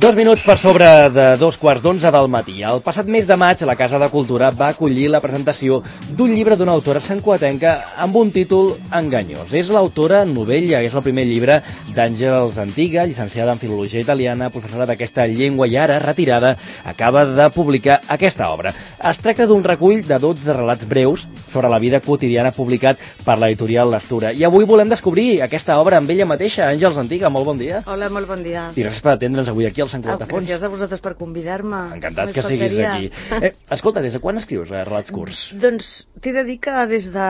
2 minuts per sobre de 2:15 del matí. El passat mes de maig, la Casa de Cultura va acollir la presentació d'un llibre d'una autora santcugatenca amb un títol enganyós. És l'autora Novella, és el primer llibre d'Àngels Antiga, llicenciada en Filologia Italiana, professora d'aquesta llengua i ara, retirada, acaba de publicar aquesta obra. Es tracta d'un recull de 12 relats breus sobre la vida quotidiana publicat per l'editorial L'Estura. I avui volem descobrir aquesta obra amb ella mateixa. Àngels Antiga, molt bon dia. Hola, molt bon dia. I gràcies per atendre'ns avui aquí al Sant Cugat de Fons. Gràcies a vosaltres per convidar-me. Encantat que siguis aquí. Escolta, des de quan escrius relats curts? Doncs t'he de dir que des de...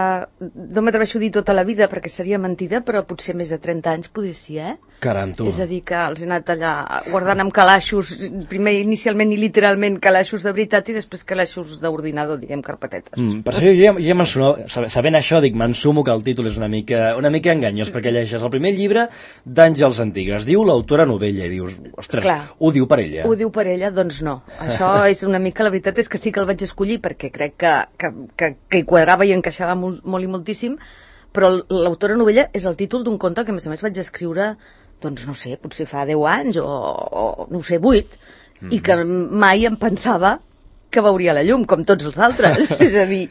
No m'atreveixo a dir tota la vida perquè seria mentida, però potser més de 30 anys podria ser, Caram, tu. És a dir, que els he anat allà guardant amb calaixos, primer inicialment i literalment calaixos de veritat i després calaixos d'ordinador, diguem, carpetetes. Per això jo ja m'ensumo, sabent això, dic, m'ensumo que el títol és una mica enganyós, perquè llegeixes el primer llibre d'Àngels Antiga. Es diu l'autora Novella i dius, ostres, clar, ho diu per ella? Ho diu per ella? Doncs no. Això és una mica, la veritat és que sí que el vaig escollir perquè crec que hi quadrava i encaixava molt i moltíssim, però l'autora Novella és el títol d'un conte que a més vaig escriure, doncs no sé, potser fa 10 anys o no ho sé, 8, i que mai em pensava que veuria la llum, com tots els altres. És a dir,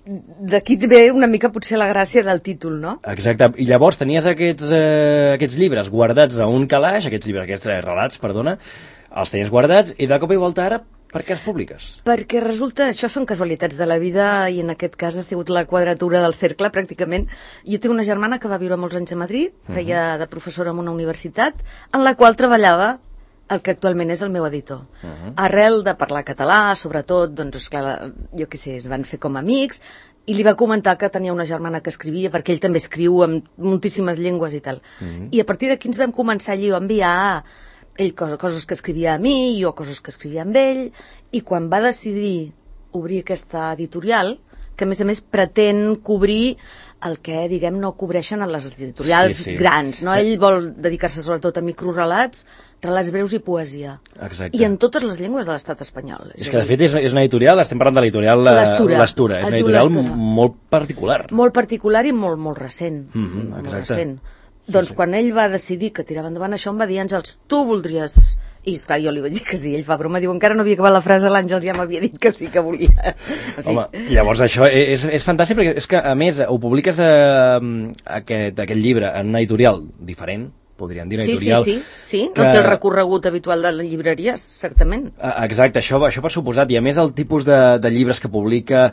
d'aquí ve una mica potser la gràcia del títol, no? Exacte, i llavors tenies aquests llibres guardats a un calaix, aquests relats, perdona, els tenies guardats i de cop i volta ara per què els publiques? Perquè resulta, això són casualitats de la vida i en aquest cas ha sigut la quadratura del cercle pràcticament. Jo tinc una germana que va viure molts anys a Madrid, feia de professora en una universitat, en la qual treballava el que actualment és el meu editor. Arrel de parlar català, sobretot, doncs esclar, jo què sé, es van fer com amics i li va comentar que tenia una germana que escrivia, perquè ell també escriu en moltíssimes llengües i tal. I a partir d'aquí ens vam començar allí a enviar ell coses que escrivia a mi, jo coses que escrivia amb ell, i quan va decidir obrir aquesta editorial, que a més pretén cobrir el que, diguem, no cobreixen a les editorials grans, no? Ell vol dedicar-se sobretot a microrelats, relats breus i poesia. Exacte. I en totes les llengües de l'estat espanyol. És que, de fet, és una editorial, estem parlant de l'editorial L'Estura. És una editorial molt particular. Molt particular i molt recent. Molt recent. Doncs quan ell va decidir que tirava endavant això, em va dir, Àngels, tu voldries... I esclar, jo li vaig dir que sí, ell fa broma, diu, encara no havia acabat la frase, l'Àngels ja m'havia dit que sí que volia. Home, llavors això és fantàstic, perquè és que, a més, ho publiques aquest llibre en una editorial diferent, podríem dir, una editorial... Sí, no té el recorregut habitual de les llibreries, certament. Exacte, això per suposat, i a més el tipus de llibres que publica,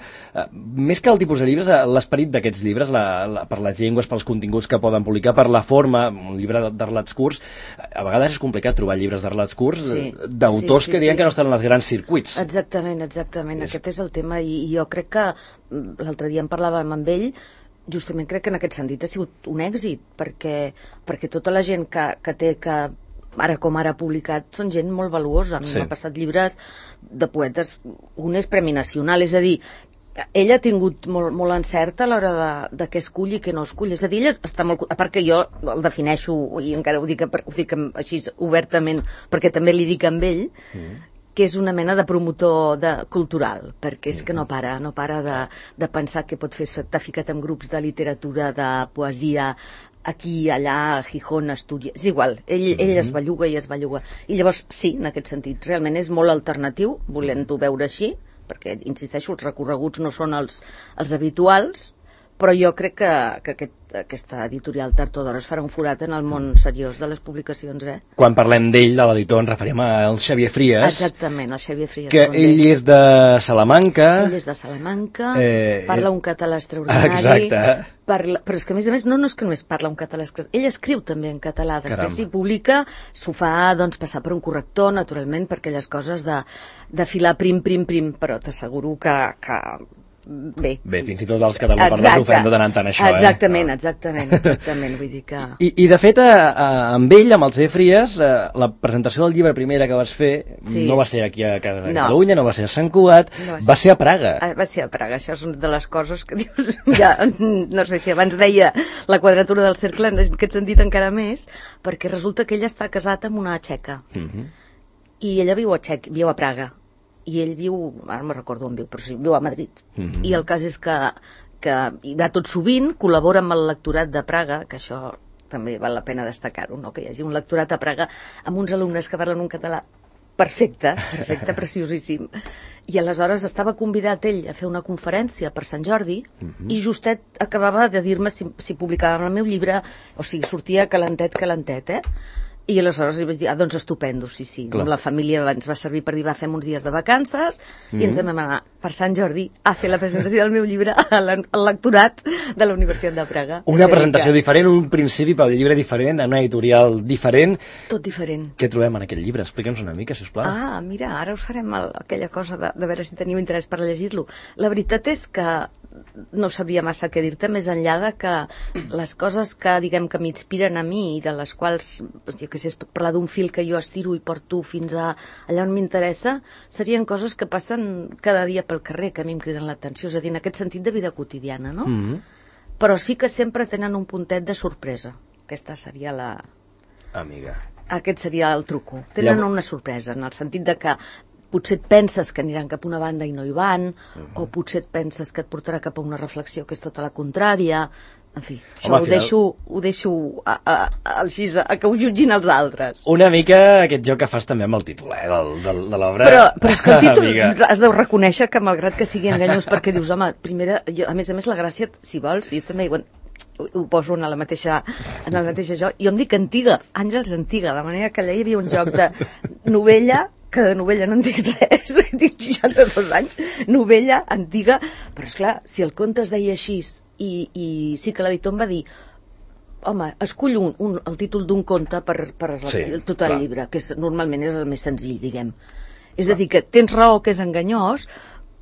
més que el tipus de llibres, l'esperit d'aquests llibres, per les llengües, pels continguts que poden publicar, per la forma, un llibre de relats curts, a vegades és complicat trobar llibres de relats curts d'autors que diuen que no estan en els grans circuits. Exactament, aquest és el tema, i jo crec que l'altre dia en parlàvem amb ell, justament crec que en aquest sentit ha sigut un èxit, perquè tota la gent que té ara com ara publicat són gent molt valuosa. A mi m'ha passat llibres de poetes, un és Premi Nacional, és a dir, ell ha tingut molt encert a l'hora de què escull i què no escull. És a dir, ell està molt... A part que jo el defineixo, i encara ho dic així obertament, perquè també li dic amb ell, que és una mena de promotor cultural, perquè és que no para de pensar que pot fer, estar ficat en grups de literatura, de poesia, aquí, allà, a Gijón, Astúries, és igual, ell es belluga i es belluga. I llavors, sí, en aquest sentit, realment és molt alternatiu, volent-ho veure així, perquè, insisteixo, els recorreguts no són els habituals, però jo crec que aquesta editorial tard o d'hora es farà un forat en el món seriós de les publicacions, Quan parlem d'ell, de l'editor, ens referim al Xavier Frías. Exactament, el Xavier Frías. Que ell és de Salamanca. Ell és de Salamanca, parla un català extraordinari. Exacte. Però és que, a més, no és que només parla un català, ell escriu també en català, després s'hi publica, s'ho fa, doncs, passar per un corrector, naturalment, per aquelles coses de filar prim, però t'asseguro que bé, fins i tot els catalanoparlants ho fem de tant en tant, això. Exactament, vull dir que... I de fet, amb ell, amb el Xavier Frías, la presentació del llibre primera que vas fer no va ser aquí a Catalunya, no va ser a Sant Cugat, va ser a Praga. Va ser a Praga, això és una de les coses que dius, ja, no sé si abans deia la quadratura del cercle, en aquest sentit encara més, perquè resulta que ell està casat amb una txeca, i ella viu a Praga, i ell viu, ara no recordo on viu, però sí, viu a Madrid. I el cas és que hi va tot sovint, col·labora amb el lectorat de Praga, que això també val la pena destacar-ho, no? Que hi hagi un lectorat a Praga amb uns alumnes que parlen un català perfecte, preciosíssim. I aleshores estava convidat ell a fer una conferència per Sant Jordi i justet acabava de dir-me si publicàvem el meu llibre, o sigui, sortia calentet, I aleshores li vaig dir, doncs estupendo, sí. Amb la família ens va servir per dir, fem uns dies de vacances i ens vam anar per Sant Jordi a fer la presentació del meu llibre al lectorat de la Universitat de Praga. Una presentació diferent, un principi pel llibre diferent, en una editorial diferent. Tot diferent. Què trobem en aquest llibre? Explica'ns una mica, sisplau. Mira, ara us farem aquella cosa de veure si teniu interès per llegir-lo. La veritat és que no sabria massa què dir-te, més enllà de que les coses que, diguem, que m'inspiren a mi i de les quals, jo què sé, és parlar d'un fil que jo estiro i porto fins a allà on m'interessa, serien coses que passen cada dia pel carrer, que a mi em criden l'atenció, és a dir, en aquest sentit de vida quotidiana, no? Però sí que sempre tenen un puntet de sorpresa. Aquesta seria la... Amiga. Aquest seria el truco. Tenen una sorpresa, en el sentit de que potser et penses que aniran cap a una banda i no hi van, o potser et penses que et portarà cap a una reflexió que és tota la contrària. En fi, això ho deixo així, a que ho jutgin els altres. Una mica aquest joc que fas també amb el títol, de l'obra. Però és que el títol has de reconèixer que, malgrat que sigui enganyós, perquè dius, home, primera, a més, la gràcia, si vols, jo també ho poso en la mateixa joc. Jo em dic Antiga, Àngels Antiga, de manera que allà hi havia un joc de novella, que de novella no en dic res, tinc 62 anys, novella antiga, però esclar, si el conte es deia així, i sí que l'editor em va dir, home, escull el títol d'un conte per tot el llibre, que normalment és el més senzill, diguem. És a dir, que tens raó que és enganyós,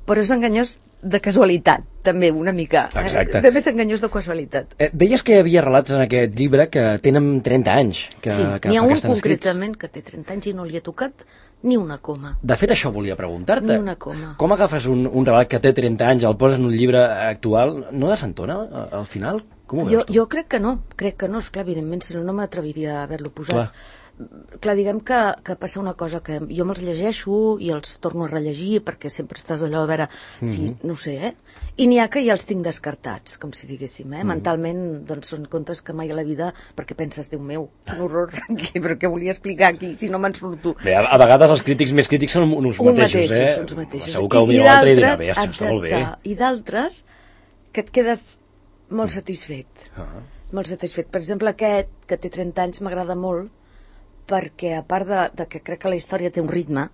però és enganyós de casualitat, també, una mica. Exacte. També és enganyós de casualitat. Deies que hi havia relats en aquest llibre que tenen 30 anys. Sí, n'hi ha un concretament que té 30 anys i no li ha tocat ni una coma. De fet, això volia preguntar-te. Ni una coma. Com agafes un relat que té 30 anys, el poses en un llibre actual, no desentona al final? Com ho veus tu? Jo crec que no, esclar, evidentment, si no m'atreviria a haver-lo posat. Clar, diguem que passa una cosa, que jo me'ls llegeixo i els torno a rellegir, perquè sempre estàs allò a veure si, no sé, i n'hi ha que ja els tinc descartats, com si diguéssim, mentalment, doncs són contes que mai a la vida, perquè penses, Déu meu, quin horror, però què volia explicar aquí, si no me'n surto. Bé, a vegades els crítics més crítics són uns mateixos, Uns mateixos. Segur que potser l'altre dirà, bé, està molt bé. I d'altres que et quedes molt satisfet. Molt satisfet. Per exemple, aquest, que té 30 anys, m'agrada molt, perquè a part de que crec que la història té un ritme,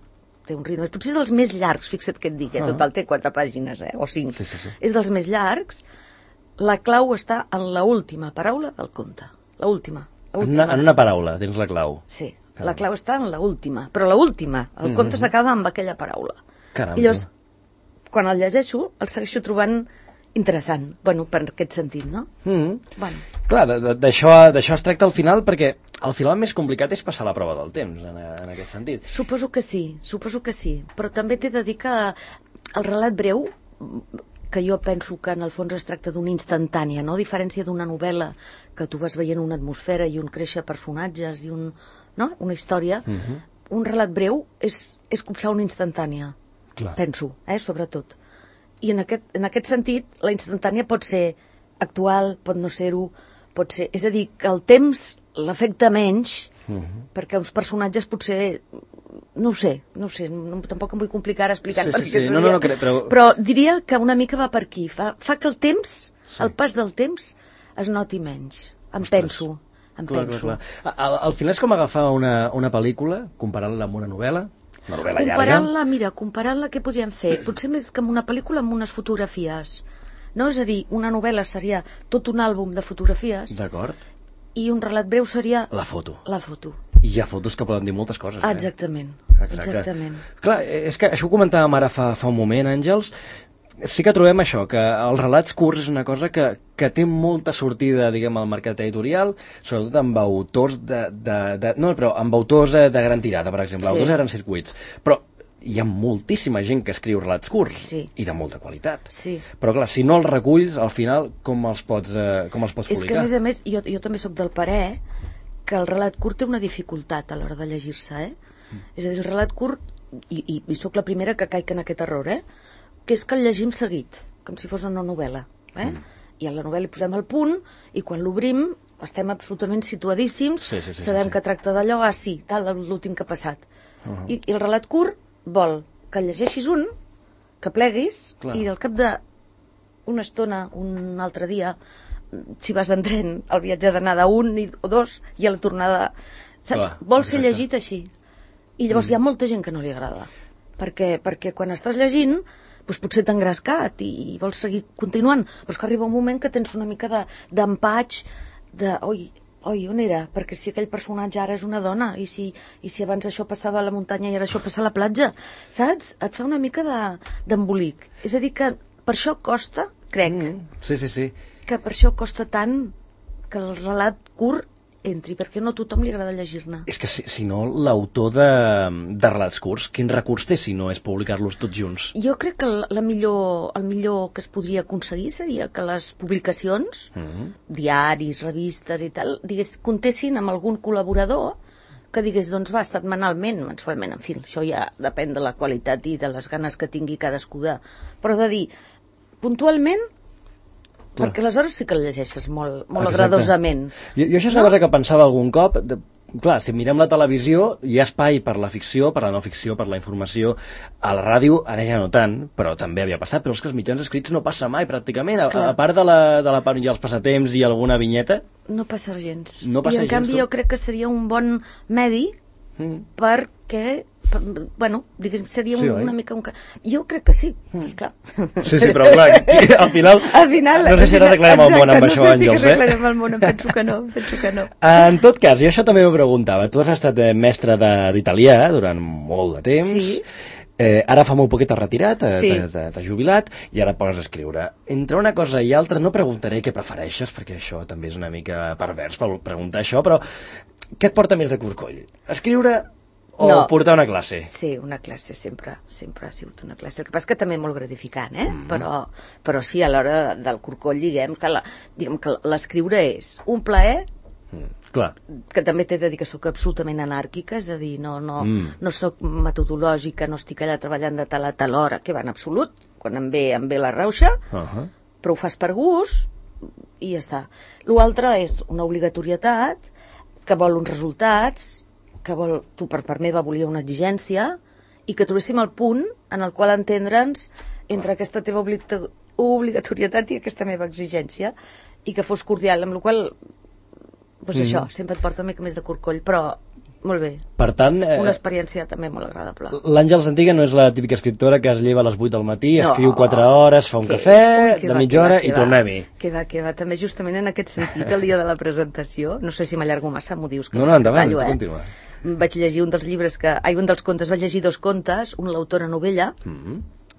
potser és dels més llargs, fixa't què et dic, total té 4 pàgines, o 5. Sí. És dels més llargs, la clau està en l'última paraula del conte. L'última. En una paraula, tens la clau. Sí, la clau està en l'última, però l'última, el conte s'acaba amb aquella paraula. Caram. I llavors, quan el llegeixo, el segueixo trobant interessant, per aquest sentit, no? Clar, d'això es tracta al final, perquè al final el més complicat és passar la prova del temps, en aquest sentit. Suposo que sí, però també t'he de dir que el relat breu, que jo penso que en el fons es tracta d'una instantània, no? A diferència d'una novel·la que tu vas veient una atmosfera i un créixer personatges i una història, un relat breu és copsar una instantània, penso, sobretot. I en aquest sentit, la instantània pot ser actual, pot no ser-ho, pot ser... És a dir, que el temps l'afecta menys, perquè uns personatges potser... No ho sé, tampoc em vull complicar explicant per què seria. Però diria que una mica va per aquí. Fa que el temps, el pas del temps, es noti menys. Em penso. Clar. Al final és com agafar una pel·lícula, comparant-la amb una novel·la llarga. Comparant-la, què podríem fer? Potser més que amb una pel·lícula, amb unes fotografies. No? És a dir, una novel·la seria tot un àlbum de fotografies. D'acord. I un relat breu seria... La foto. I hi ha fotos que poden dir moltes coses. Exactament. Clar, és que això ho comentàvem ara fa un moment, Àngels. Sí que trobem això, que els relats curts és una cosa que té molta sortida, diguem, al mercat editorial, sobretot amb autors amb autors de gran tirada, per exemple, autors de grans circuits. Però hi ha moltíssima gent que escriu relats curts i de molta qualitat. Però clar, si no els reculls, al final, com els pots publicar? És que, a més, jo també sóc del parer que el relat curt té una dificultat a l'hora de llegir-se, És a dir, el relat curt, i sóc la primera que caic en aquest error, que és que el llegim seguit, com si fos una novel·la. I a la novel·la hi posem el punt, i quan l'obrim estem absolutament situadíssims, sabem que tracta d'allò, sí, tal, l'últim que ha passat. I el relat curt vol que llegeixis un, que pleguis, i al cap d'una estona, un altre dia, si vas en tren, el viatge d'anar d'un o dos, i a la tornada, saps? Vol ser llegit així. I llavors hi ha molta gent que no li agrada. Perquè quan estàs llegint, doncs potser t'ha engrescat i vols seguir continuant, però és que arriba un moment que tens una mica d'empatx, oi, on era? Perquè si aquell personatge ara és una dona, i si abans això passava a la muntanya i ara això passa a la platja, saps? Et fa una mica d'embolic. És a dir, que per això costa, crec, que per això costa tant que el relat curt entri, perquè no a tothom li agrada llegir-ne. És que si no, l'autor de relats curts, quin recurs té si no és publicar-los tots junts? Jo crec que el millor que es podria aconseguir seria que les publicacions, diaris, revistes i tal, comptessin amb algun col·laborador que digués, doncs va, setmanalment, mensualment, en fi, això ja depèn de la qualitat i de les ganes que tingui cadascú però de dir, puntualment, perquè aleshores sí que el llegeixes molt agradosament. Jo això és una cosa que pensava algun cop. Clar, si mirem la televisió, hi ha espai per la ficció, per la no ficció, per la informació. A la ràdio, ara ja no tant, però també havia passat, però és que els mitjans escrits no passa mai, pràcticament. A part de la part i els passatemps i alguna vinyeta... No passa gens. I en canvi jo crec que seria un bon medi perquè... Bueno, seria una mica un... Jo crec que sí, esclar. Sí, però clar, al final no sé si ara declarem el món amb això, Àngels. No sé si declarem el món, penso que no. En tot cas, jo això també m'ho preguntava. Tu has estat mestre d'italià durant molt de temps. Sí. Ara fa molt poc que t'has retirat, t'has jubilat, i ara pots escriure. Entre una cosa i altra, no preguntaré què prefereixes, perquè això també és una mica pervers per preguntar això, però què et porta més de corcoll? Escriure o portar una classe? Sí, una classe, sempre ha sigut una classe. El que passa que també molt gratificant, però sí, a l'hora del corcoll, diguem que l'escriure és un plaer, que també t'he de dir que sóc absolutament anàrquica, és a dir, no sóc metodològica, no estic allà treballant de tal a tal hora, que va en absolut, quan em ve la rauxa, però ho fas per gust i ja està. L'altre és una obligatorietat que vol uns resultats, que tu per part meva volia una exigència, i que trobéssim el punt en el qual entendre'ns entre aquesta teva obligatorietat i aquesta meva exigència, i que fos cordial, amb la qual doncs això, sempre et porta una mica més de corcoll, però molt bé. Per tant... una experiència també molt agradable. L'Àngels Antiga no és la típica escriptora que es lleva a les 8 del matí, escriu 4 hores, fa un cafè de mitja hora i tornem-hi. Que va, també justament en aquest sentit, el dia de la presentació, no sé si m'allargo massa, m'ho dius. No, endavant, continua. Vaig llegir un dels contes, vaig llegir 2 contes, un l'autora Novella,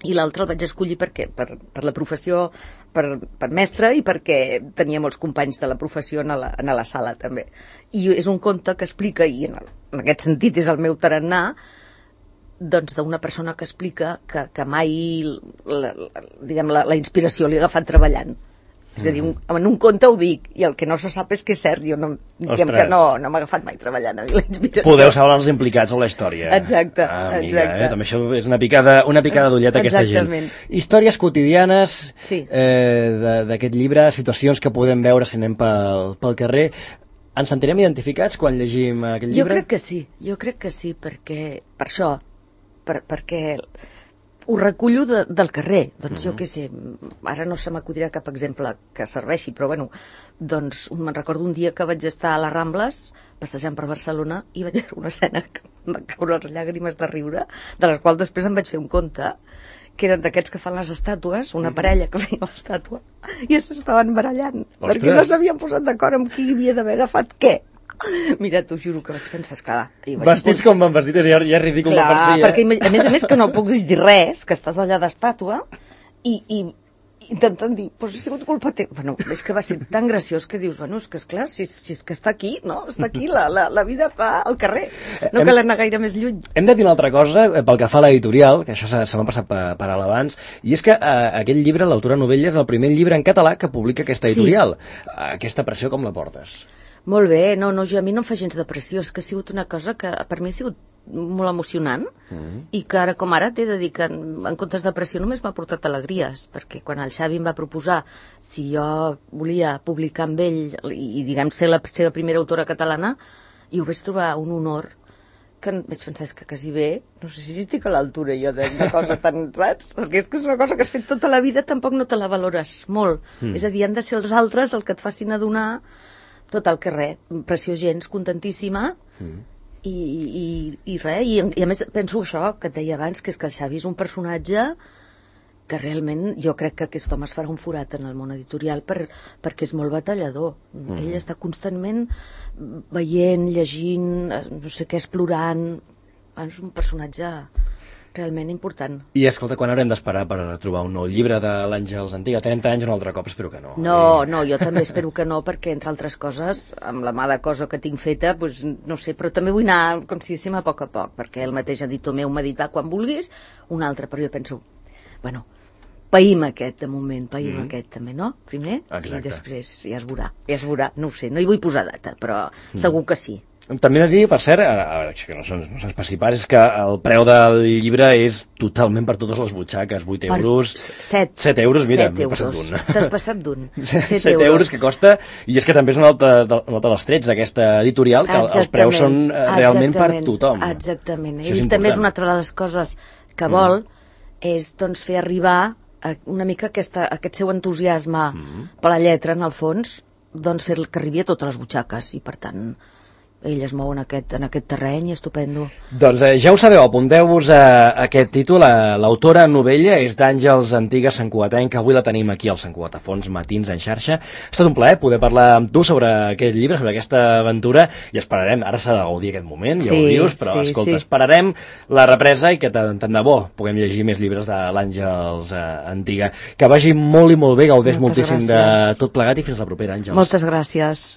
i l'altre el vaig escollir per la professió, per mestre, i perquè tenia molts companys de la professió a la sala també. I és un conte que explica, i en aquest sentit és el meu tarannà, doncs d'una persona que explica que mai la inspiració li ha agafat treballant. És a dir, en un conte ho dic, i el que no se sap és que és cert, jo no m'ha agafat mai treballant a mi la inspiració. Podeu saber els implicats en la història. Exacte. També això és una picada d'ullet a aquesta gent. Històries quotidianes d'aquest llibre, situacions que podem veure si anem pel carrer. Ens sentirem identificats quan llegim aquest llibre? Jo crec que sí, perquè per això, perquè ho recullo del carrer, doncs jo què sé, ara no se m'acudirà cap exemple que serveixi, però bueno, doncs me'n recordo un dia que vaig estar a les Rambles, passejant per Barcelona, i vaig veure una escena que em van caure les llàgrimes de riure, de les quals després em vaig fer un conte, que eren d'aquests que fan les estàtues, una parella que feia l'estàtua, i s'estaven barallant, perquè no s'havien posat d'acord amb qui havia d'haver agafat què. Mira, t'ho juro que vaig pensar, esclar... Vestits com van vestits, ja és ridícul de per si. Perquè a més que no puguis dir res, que estàs allà d'estàtua, i intentant dir, doncs ha sigut culpa teva. Bueno, és que va ser tan graciós que dius, bueno, és que esclar, si és que està aquí, no? Està aquí, la vida està al carrer. No cal anar gaire més lluny. Hem de dir una altra cosa, pel que fa a l'editorial, que això se m'ha passat per alt abans, i és que aquest llibre, l'autora Novella, és el primer llibre en català que publica aquesta editorial. Aquesta pressió com la portes? Molt bé, no, a mi no em fa gens de pressió, és que ha sigut una cosa que per mi ha sigut molt emocionant i que ara com ara t'he de dir que en comptes de pressió només m'ha portat alegries, perquè quan el Xavi em va proposar si jo volia publicar amb ell i diguem ser la seva primera autora catalana, i ho vaig trobar un honor que vaig pensar que quasi bé, no sé si estic a l'altura jo d'una cosa tan, saps? Perquè és una cosa que has fet tota la vida, tampoc no te la valores molt. És a dir, han de ser els altres el que et facin adonar tot el que res, pressió gens, contentíssima, i res, i a més penso això que et deia abans, que és que el Xavi és un personatge que realment jo crec que aquest home es farà un forat en el món editorial perquè és molt batallador. Ell està constantment veient, llegint, no sé què, explorant. És un personatge realment important. I escolta, quan haurem d'esperar per trobar un nou llibre de l'Àngels Antiga? 30 anys un altre cop, espero que no. No, jo també espero que no, perquè entre altres coses, amb la mà de cosa que tinc feta, doncs, no sé, però també vull anar, com si diguéssim, a poc, perquè el mateix editor meu m'ha dit, va, quan vulguis, un altre, però jo penso, bueno, païm aquest, de moment, païm aquest també, no? Primer, i després ja es veurà, no ho sé, no hi vull posar data, però segur que sí. També he de dir, per cert, que no s'especipar, és que el preu del llibre és totalment per totes les butxaques, 8 euros... 7 euros, mira, m'he passat d'un. T'has passat d'un. 7 euros que costa, i és que també és un altre dels trets d'aquesta editorial, que els preus són realment per tothom. Exactament. I també és una altra de les coses que vol, és doncs fer arribar una mica aquest seu entusiasme per la lletra, en el fons, doncs fer que arribi a totes les butxaques, i per tant ell es mou en aquest terreny, estupendo. Doncs ja ho sabeu, apunteu-vos a aquest títol. L'autora novella és d'Àngels Antiga, santcugatenca. Avui la tenim aquí al Sant Cugat a Fons, Matins en xarxa. Ha estat un plaer poder parlar amb tu sobre aquest llibre, sobre aquesta aventura, i esperarem, ara s'ha de gaudir aquest moment, ja ho dius, però escolta, esperarem la represa i que tant de bo puguem llegir més llibres de l'Àngels Antiga. Que vagi molt i molt bé, gaudeix moltíssim de tot plegat, i fins la propera, Àngels. Moltes gràcies.